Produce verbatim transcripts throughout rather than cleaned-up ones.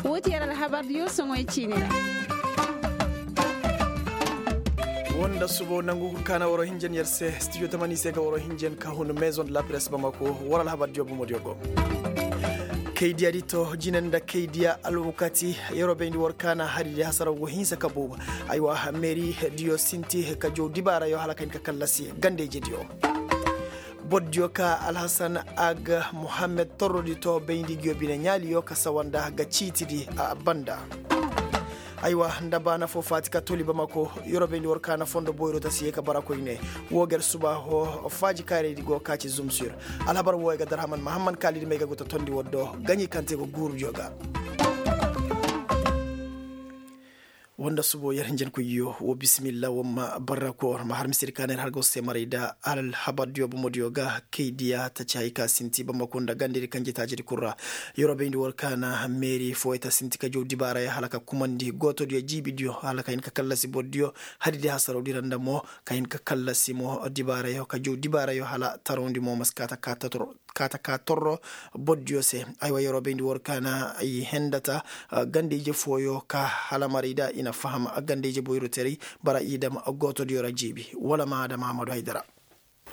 Woo ti yer alhabar diyo soŋoy ciini ra. Woo nda subo nangu kul kaana waroo hinjan yer se stijo tamani se ga waroo hinjan ka hun maison de la presse bamako. War alhabar diyo bomo diyo go kay diya di to jine nda kay diya alwakati. Yeroo bayndi war kaana hari di hasaraw go hinsa ka buuba. Aywa meeri diyo sinti ka jow dibaarayo hala ka hin ka kallasi gandey je diyo. Boro diyo ka alhasan aga muhammed torrodi to bayndi ngiyo bine ɲaaliyo ka sawa nda ga ciitidi a banda. Aywa nda baana fo faati ka toli bamako. Yorobayndi war kaana fondo boyro ta si ye ka bara koyne. Woo ga yer suba ho faaji kaaraydi go ka ci zumsir. Alhabar woo ya ga darhaman mahamman kaalidi may ga go ta tondi war do gaɲi kaŋ te go guuru diyo ga. Woo nda subo yer hinjankoyyo woo bisimilla woo ma barra koor ma har misiri ka na yer har ga war se maray nda alhabar diyo bomo diyo ga kay diya taci hay ka sinti bamako nda gandedi kaŋ jetaacidi kul ra. Yeroo bayndi war kaana meeri fooyey ta sinti ka jow dibaarayo hala ka kumandi gooto diyo jiibi diyo hala ka hin ka kallasi boro diyo. Hari di hasaroo di ra nda mo ka hin ka kallasi mo dibaarayo ka jow dibaarayo hala tarawndi mo ma si kaa ta kaa ta toro. Kaata ka torro boro diyo se. Aywa yeroo bayndi war kaana i henda ta ganda-ije fooyo ka hala maray da i na faham ganda-ije boyro teray. Bara i dam gooto diyo ra jiibi wala ma adama ahmadu haydara.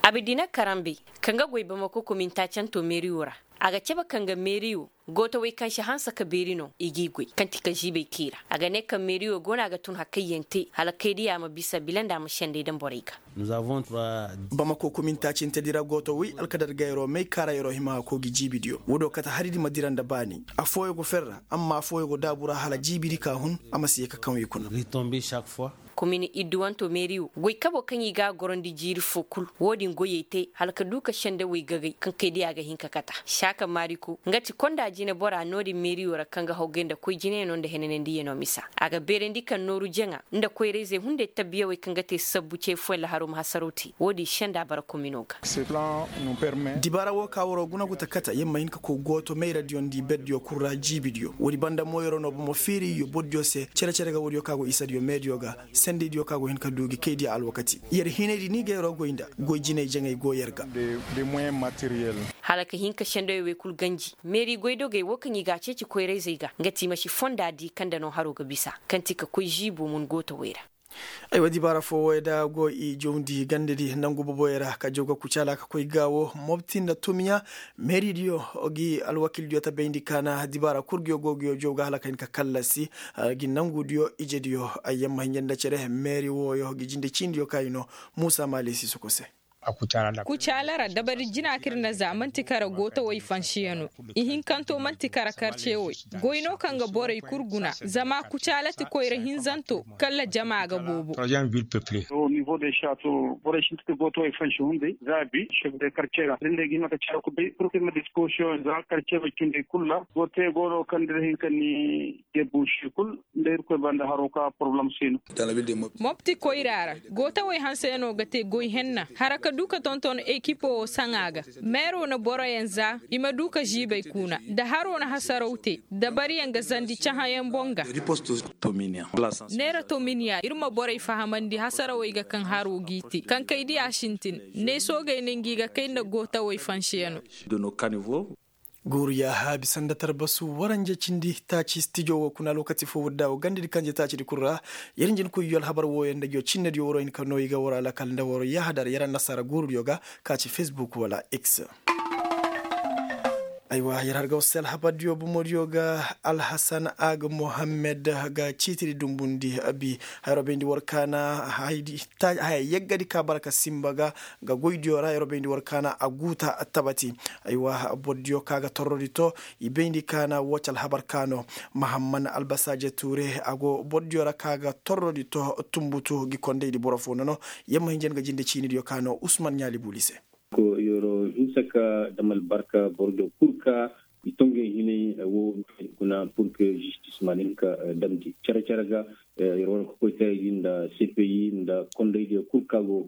Abidina karambe kaŋ ga goy bamako kominta canto meeri wo ra. A ga cabe kaŋ ga meeri wo gooto wey kaŋ si hanse ka beeri no i g'i goy kaŋ ti ka ziibay kay ra a ga ne kaŋ meeri wo go no a ga tun hakayyaŋ te hala kay diya ma bisa bila nda a ma sendey daŋ borey ga. Bamako kominta cintedi ra gooto wey alkadar gayroo may kaara yeroo hima hakoo gi jiibidiyo woo do kate haridi ma dira nda baani. Affooyo go fer ra amma affooyo go daabu ra hala jiibidi ka hun. A ma si ye ka kaŋ i kuna. Komin idduwanto meeri wo goy kabo kaŋ i ga a gorondi jiiri foo kul. Woo din goyey te hala ka duu ka sendewey gagay kaŋ kay diya ga hin ka kata saaka maariko nga ti konda jinebora no-din meeri wo ra kaŋ ga hawgay nda koy jinayano nda henanandiyanoo misa. A ga beerandi kaŋ nooru jaŋa nda koyra-izey hunday tabbiyawey kaŋ ga te sabbu ce fooyaŋ laharo ma hasaraw te woo din senda bara komino ga. Dibaara woo ka waroo guna gu ta kate yer ma hin ka koy gooto mayradiyo nda i berdiyo kul ra jiibidiyo woodi banda mo yeroo no bomo fiiri iyo bordiyo se cere-cere ga woodiyo kaŋ a go isadiyo meediyo ga. Sendaydiyo kaŋ a go hin ka duu gi kaydiyo alwakati yer hinaydi ni ga yeroo goy nda goy jinay jaŋay go yer ga. Hala ka hin ka sendayoo wey kul ganji meeri goydogey woo kaŋ i ga a ceeci koyra-izey ga nga ti i ma si fonda di kaŋ nda no haroo ga bisa kaŋ ti ka koy ziibo mun gootowey ra. Aywa dibaara foo wooyo da go i jawndi gandadi nangu boboyo ra ka jaw ga kucaala ka koy gaawo mobti nda tumiya. Meeridiyo gi alwakildiyo ta bayndi kaana dibaara kul nguyo go nguyo jaw ga hala ka hin ka kallasi gi nangudiyo ijediyo. Ay yamma hinja nda cere meeri wooyo gi jinde ciinidiyo ka i no muusa maali si soko se. Kucaala ra dabari jina kaŋ ir na za man'ti kara gootawey fansiyano. Ihinkanto man'ti kara karcewey. Goy no kaŋ ga borey kul guna zama kucaala ti koyra hinzanto kala jama ga boobo. Borey sinti ka gootawey fansi hunday zaabi sef de karcera rinday ga hima ka caara ku bay pur ka ir ma disposiyoŋ za karcewey cundey kul ra. Gootawey go no kaŋ da ir hin ka ni debusi kul nda irkoy banda haroo ka poroblem si no. Mopti koyra ra gootawey hanseyanoo ga te goy henna hara ka duu ka tonton ekipo woo saŋa ga. Meeroo na boroyaŋ za i ma duu ka ziibay kuuna nda haroo na hasaraw te. Dabariyaŋ ga zandi cahãyaŋ boŋ ga. Neera tominiya ir ma borey fahamandi hasarawey ga kaŋ haroo g'i te kaŋ kay diya sintin. Neesoogey na ngi ga kay nda gootawey fansiyanoo. Guuru yaaha bisa nda tarbasu waranja cindi taaci stijo woo kuna alwakati foo woo daawo gandadi kanje taacidi kul ra. Yer nja ni koy yoo alhabar wooyo nda ngiyo cinnediyo waroo hin ka noo i ga waroo alakal nda waroo yaaha dar yer annasaara guurudiyo ga ka ci fesbuk wala x. Aywa yer har ga war se alhabardiyo bomodiyo ga alhasan aga muhammed ga ciitidi dumbundi. Bi hayroo bayndi war kaana haya yeggadi ka bara ka simba ga ga goydiyo ra yeroo bayndi war kaana a guuta tabati. Aywa bordiyo ka ga torrodi to i bayndi kaana woo ci alhabar kaano. Mahamman albasaaje tuure a go bordiyo ra ka ga torrodi to tumbutu gi kondaydi boro foo nono. Yer ma hinja ni ga jinde ciinidiyo kaano usman ɲaali buuli se. Ko yeroo hinsa ka dam albarka borodiyo kul ka i tongey hinay woo kuna pur ke zistis ma ni hin ka damndi cere-cere ga. Yer wane kokoytaydi nda cpi nda kondaydiyo kul ka go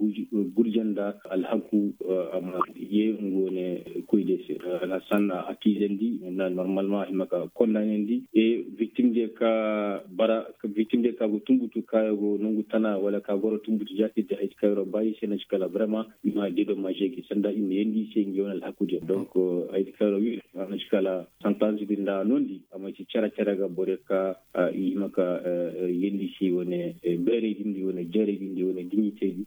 gurje nda alhaku a ma yee nga wane koydiyo se. Alhasan a kiizandi nda normalman a hima ka kondaanandi e viktimdiyo ka bara viktimdiyo ka go tumbutu ka go nongu tana wala ka goro tumbutu jaatiddi haydi ka yeroo ba i se na ci kala vraiment i ma dedomaze gi sanda i ma yeendi i se nga wane alhakudiyo donc haydi ka yeroo wi a na ci ka Kala santansi din da a nondi a ma ci cere cere ga borey ka i hima ka yeendi si wane beerey din di wane jeerey din di wane diɲitey di.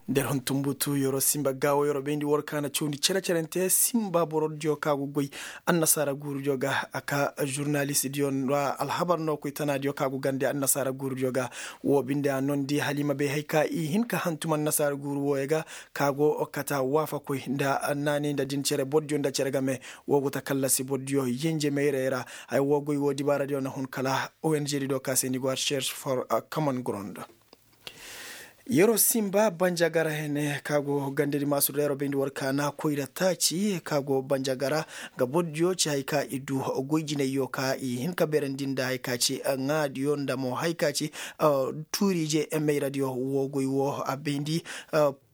Nda ir hun tumbutu yer'o simba gaawo yer'o bayndi war ka na cawndi cere cerante simba borodiyo ka go goy annasaara guurudiyo ga a ka žurnalistidiyo ra alhabar no koy tanaadiyo ka go gande annasaara guurudiyo ga. Wo binde a nondi hala i ma bay hari ka i hin ka hantum annasaara guuru wooyo ga ka go kata waafakoy nda naanay nda din cere borodiyo nda cere game. Wo go ta kallasi borodiyo yenje mayrey ra. Haya wo goy wo dibaaradiyo na hun kala ong di do ka se ni go a recherche for common ground. Yer'o simba banjagara hene ka go gandadi maasur da yer'o bayndi war ka na koyra taaci ka go banjagara. Nga bordiyo ci hari ka i du goy jinayyo ka i hin ka beerandi nda hari ka ci ŋaadiyo nda mo hari ka ci tuurije mayradiyo wo goy wo a bayndi.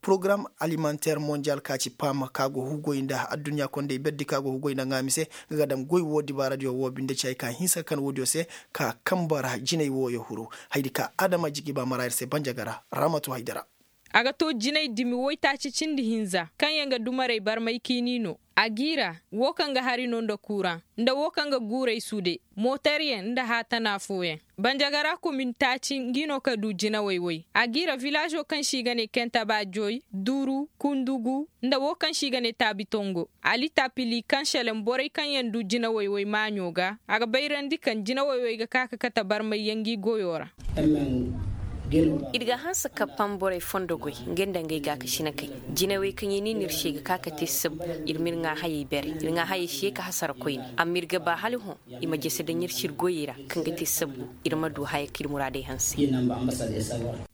Porogaram alimanteer monjal ka ci pam ka go hugoy nda adduɲɲa kondey berdi ka go hugoy nda ŋaami se. Nga ga dam goy wo dibaaradiyo wo binde ci hari ka hinsa ka kan woodiyo se ka kamba ra jinay wooyo huru. Haydi ka adama jigi ba mara ir se banjagara. Ramatu haydara. A ga to jinay dimi woytaaci cindi hinza kaŋ yaŋ ga dumarey barmay kiini no. A g'i ra wo kaŋ ga hari no nda kuuraŋ nda wo kaŋ ga guurey sude mooteryaŋ nda haatana fooyaŋ. Banjagara komin taaci ngi no ka du jinawey woy. A g'i ra vilaazo kaŋ se i ga ne kentaba joy duru kundugu nda wo kaŋ se i ga ne taabi tongo. Ali tapili kaŋ seleŋ borey kaŋ yaŋ du jinawey woy maaɲo ga a ga bayrandi kaŋ jinawey woy ga ka ka kate barmayyaŋ ngi goyo ra. Ir ga hanse ka pam borey fondo goy ngey nda ngey gaakasinakey. Jinawey kaŋ i ne no ir se ga ka ka te sabbu. Ir ma ir ŋaa hayey bere ir ŋaa hayey se ka hasara koyne amma ir ga ba hala hõ i ma jese daŋ ir se ir goyey ra kaŋ ga te sabbu. Ir ma du haya kaŋ ir muraadey hanse.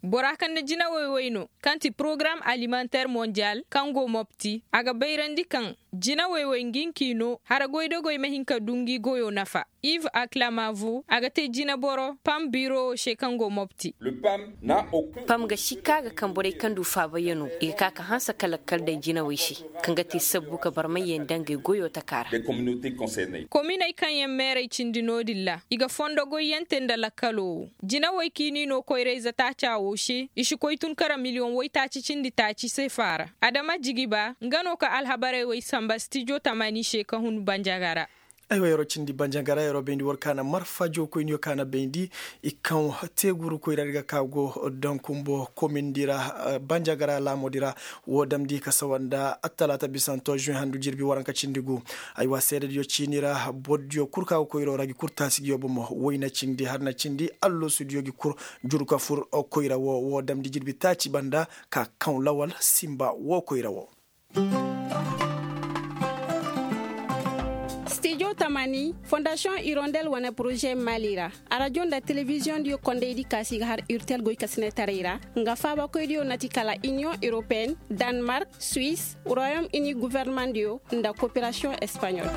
Bora kaŋ na jinawey woy no kaŋ ti porogaram alimanteer monjal kaŋ go mopti a ga bayrandi kaŋ jinawey woy ngi nki no hara goydogoy ma hin ka du ngi goyo nafa. Iv aklamavo a ga te jinaboro pam birowo se kaŋ go mopti. Pam ga sikka ga kaŋ borey kaŋ du faabayaŋo i ga ka ka hanse ka lakkal day jinawey se kaŋ ga te sabbu ka barmayyaŋ daŋ gay goyo taka ra. Kominey kaŋ yaŋ meerey cindi no-din ra i ga fondo goyyante nda lakkalo wo. Jinawey kaŋ i n'i no koyra-ize taaca wo se i si koy tun kara miliyoŋ woytaaci cindi taaci sefa ra. Adama jigiba nga no ka alhabarey wey samba stijo tamani se ka hun banjaga ra. Aywa yer'o cindi banjagara yer'o bayndi war ka na marfa jookoyniyo ka na bayndi i kaŋ teegurukoy ra ir ga ka go dankumbo komindi ra. Banjagara laamoodi ra wo damndi ka sawa nda attalaata bisanto žuwe handu jirbi waranka cindi gu. Aywa seedediyo ciini ra bordiyo kul ka go koyro ra gi kul taasi gi yo bomo wayna cindi harna cindi alloosudiyo gi kul juru ka fur koyra wo wo damndi jirbi taaci banda ka kaŋ lawal simba wo koyra wo. Stijo tamani fondasiyoŋ irondel wane poroze mali ra. Arajo nda telebiziyoŋ diyo kondey di kaasi ga har urtel goy ka sinetaray ra nga faabakoy diyo na ti kala iniyoŋ europeen danmark, suwis, royom ini guverneman diyo nda koperasiyoŋ espaɲol.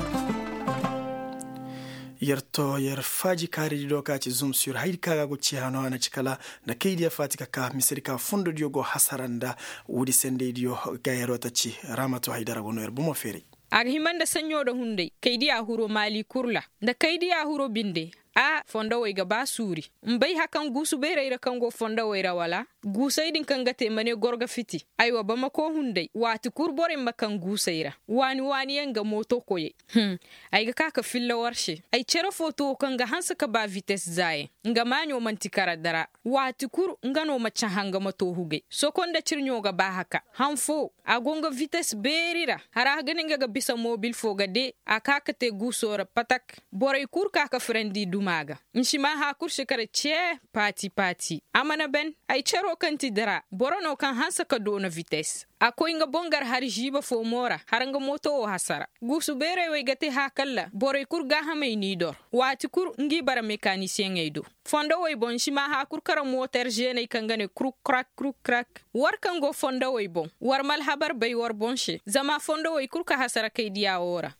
Yer to yer faaji kaaridi do ka ci zum sur haydi ka ga go ci hano a na ci kala nda kaydiya faati ka ka misedi ka fondodiyo go hasara nda woodi sendeydiyo ga yeroo ta ci. Raamato haydara go no yer bomo feeray. A ga hima nda saɲɲo nda hunday kaydiya huro maali kurla nda kaydiya huro binde. A fondowey ga ba suuri. Mbay hakaŋ guusu beerey ra kaŋ go fondowey ra wala guusey din kaŋ ga te ma ne goro ga fiti. Aywa bamako hunday waati kul borey ma kaŋ guusey ra waani waani yaŋ ga mooto koyey. Hum. Ay ga ka ka filla war se ay cere fo to kaŋ ga hanse ka ba vites zaayaŋ. Nga maaɲo man'ti kara dara waati kul nga no ma cahã nga ma to hugay soko nda cirɲo ga ba haka han fo. A go nga vites beeri ra hara ga ne nga ga bisa mobil fo ga de a ka ka te guuso ra patak. Borey kul ka ka firandi duma ga. Nsimaa haakur si kara cee paati paati. A mana ban ay cero kaŋ ti dara boro no kaŋ hanse ka doona vites. A koy nga boŋ gar hari žiiba fo mo ra har nga mooto wo hasara. Guusu beerey wey ga te haakalla borey kul gaahamey n'i dor. Waati kul ngi bara mekanisiyeŋey do. Fondowey boŋ nsimaa haakur kara mooter žeeney kaŋ ga ne kruk krak kruk krak. War kaŋ go fondowey boŋ war ma alhabar bay war boŋ se zama fondowey kul ka hasara kaydiya wo ra.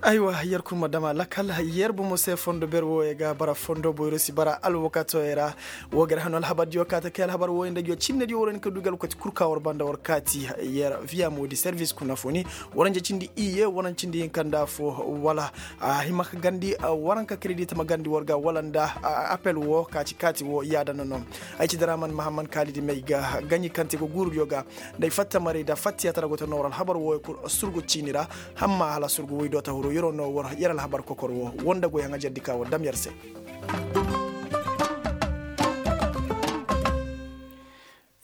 Aywa yer kul ma dam a lakal. Yer bomo se fondo ber wooyo ga bara fondo boyro si bara alwakatoyo ra. Wo ga yer hano alhabardiyo kaate kay alhabar wooyo nda nguyo cinnediyo war hin ka du ga alwakati kul ka war banda war kaati. Yer viya moodi servis kuna foni. Waranje cindi iye waranje cindi hinka nda fo. Wala a hima ka gandi waranka kredit ma gandi war ga wala nda apel wo kaati kaati wo yaada nono. Ay ci daraman mahamman kaalidi may ga gaɲi kaŋ te ga guurudiyo ga. Nda ay fatta maray nda fatta yaatara go ta noora alhabar wooyo kul surgu ciini ra. Hamma hala surgu woy do ta huru. Yer no war yer alhabar kokor wo woo nda goyaŋ a jardi ka war dam yer se.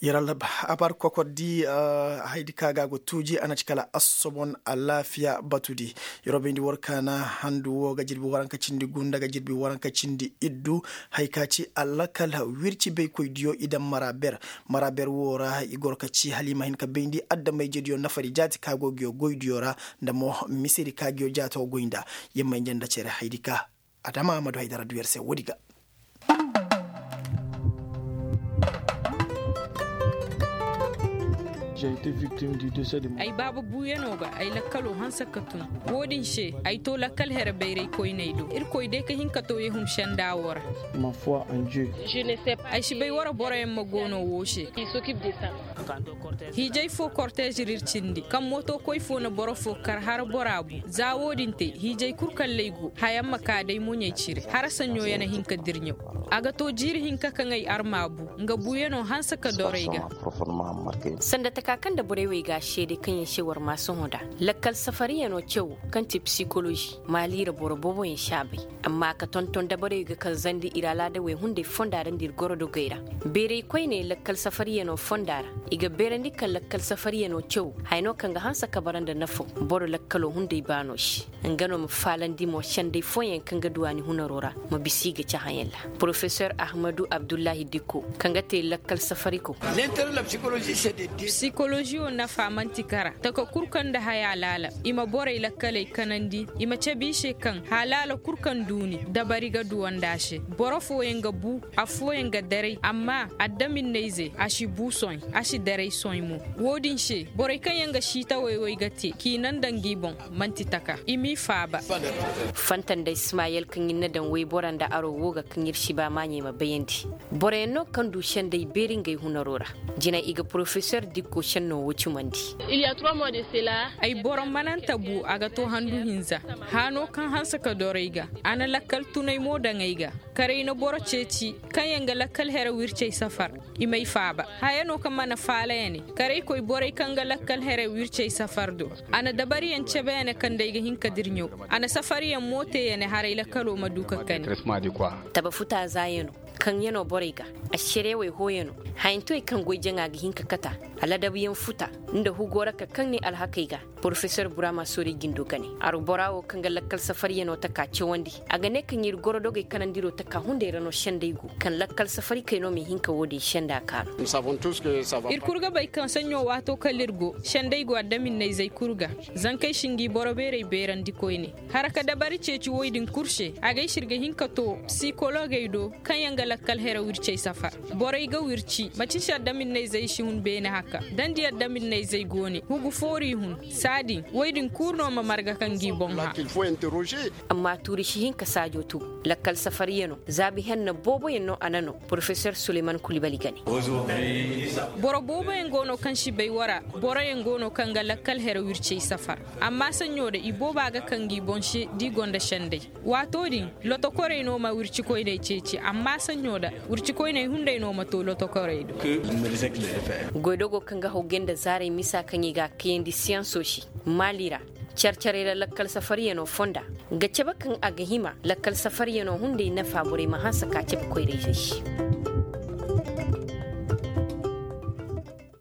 Yer alhabar kokor di, haydi ka ga a go tuuji a na ci kala assobon alaafiya batu di. Yer wo bayndi war ka na handu wo ga jirbi waranka cindi gunda ga jirbi waranka cindi iddu. Hay ka ci alakal wirci baykoy diyo i daŋ mara ber. Mara ber wo ra i goro ka ci hala i ma hin ka bayndi adama-ije diyo nafari jaati ka go ga yo goy diyo ra, nda mo misedi ka ga yo jaato goy nda. Yer ma inja nda cere haydi ka adama ma du haydara du yer se woodi ga. Ay baaba buuyano ga ay lakkaloo hanse ka tun. Woodin se ay too lakkal here bayray koyney do irkoy day ka hin ka too yehum senda woo ra. Ay si bay wara boroyaŋ ma goono woo se. Hiijay foo korteez ra ir cindi kaŋ mootokoy foo na boro foo kar har bora bu. Za woodin te hiijay kul kalley go hayaŋ ma kaa day moɲey cire har saɲɲo ya na hin ka dirɲaw. A ga too jiiri hinka kaŋ ay arma bu. Nga buuyanoo hanse ka doro ay ga. Sanda taka kaŋ nda borey wey ga a seede kaŋ yaŋ se war maa sohõ nd'a. Lakkal safariyanoo caw kaŋ ti psikolozi maali ra boro booboyaŋ si a bay. Amma a ka tonton dabarey ga kanzandi ir alaadawey hunday fonda ra nda ir gorodogey ra. Beeray koyney lakkal safariyanoo fonda ra. I ga beerandi kaŋ lakkal safariyanoo caw haya no kaŋ ga hanse ka bara nda nafo. Boro lakkaloo hunday baanoo se. Nga no ma faalandi mo senday fooyaŋ kaŋ ga du a ni hunaroo ra. Ma bisa i ga cahãyaŋ ra porofesor ahmadu abdullahi dikko kaŋ ga te lakkal safariko. Psikolozi wo nafa man'ti kara taka kul kaŋ nda haya laala. I ma borey lakkaley kanandi. I ma cabe i se kaŋ halaala kul kaŋ duuni dabari ga duwandi a se. Boro fooyaŋ ga bu. Affooyaŋ ga daray amma addaminna-izey a si bu sohõ. A si daray sohõ mo. Wo-din se borey kaŋ yaŋ ga siitawey wey ga te k'i naŋ nda ngi boŋ. Man'ti taka i m'i faaba. Fanta nda ismayel kaŋ ir na daŋ woybora nda aro wo ga kaŋ ir si ba maaɲey ma bayandi. Boroyaŋ no kaŋ du senday beeri ngey hunaro ra. Jina i ga porofesor dikko senno wo cumandi. Ay boro mananta bu a ga to handu hinza. Haano kaŋ hanse ka doro ay ga. A na lakkal tunay mo daŋ ay ga. Karay na boro ceeci kaŋ yaŋ ga lakkal here wircey safar. I may faaba haya no kaŋ mana faala ya ne. Karaykoy borey kaŋ ga lakkal here wircey safar do. A na dabariyaŋ cebe ya ne kaŋ day ga hin ka dirɲaw. A na safariyaŋ mo te ya ne haray lakkalo ma du ka kani. Taba futa za ya no. Kaŋ ya no borey ga. Ašerewey hoo ya no. Hayantowey kaŋ goy jaŋa ga hin ka kata. Aladabuyaŋ futa nda hugo ra ka kaŋ ne alhakey ga. Porofesor burama soorey jindo gane. Arbora wo kaŋ ga lakkal safariyanoo taka cawandi. A ga ne kaŋ ir gorodogey kanandiro taka hunday ra no senday go kaŋ lakkal safarikey no m'i hin ka wo-din senda kaanu. Ir kul ga bay kaŋ saɲɲo waato kala ir go senday go adaminnayzey kul ga. Zankey si ngi boro beerey beerandi koyne. Hara ka dabari ceeci woy din kul se a gay se ir ga hin ka to psikologey do. Kaŋ yaŋ ga lakkal here wircey safar. Borey ga wirci maci se adaminnayzey si hun beene haka. Dandi adaminnayzey go ne hugu foori hun. Saa din woy din kul no ma marga kaŋ g'i boŋ hã. Amma tuuri si hin ka saajo tu. Lakkal safariyanoo zaabi henna booboyaŋ no a na no. Porofesor suleyman kulibali gane. Boro booboyaŋ go no kaŋ si bay wara. Boroyaŋ go no kaŋ ga lakkal here wircey safar. Amma saɲɲo da i booba ga kaŋ g'i boŋ se da i gonda senday. Waato din lotokorey no ma wircikoyney ceeci amma saɲɲo da wircikoyney hunday no ma to lotokorey do. Goydogo kaŋ ga hawgay nda zaarey misa kaŋ i ga a kayandi siyansoo se. Maali ra. Care-carey ra lakkal safariyanoo fonda. Ga cabe kaŋ a ga hima lakkal safariyanoo hunday nafa borey ma hanse ka cabe koyra-izey se.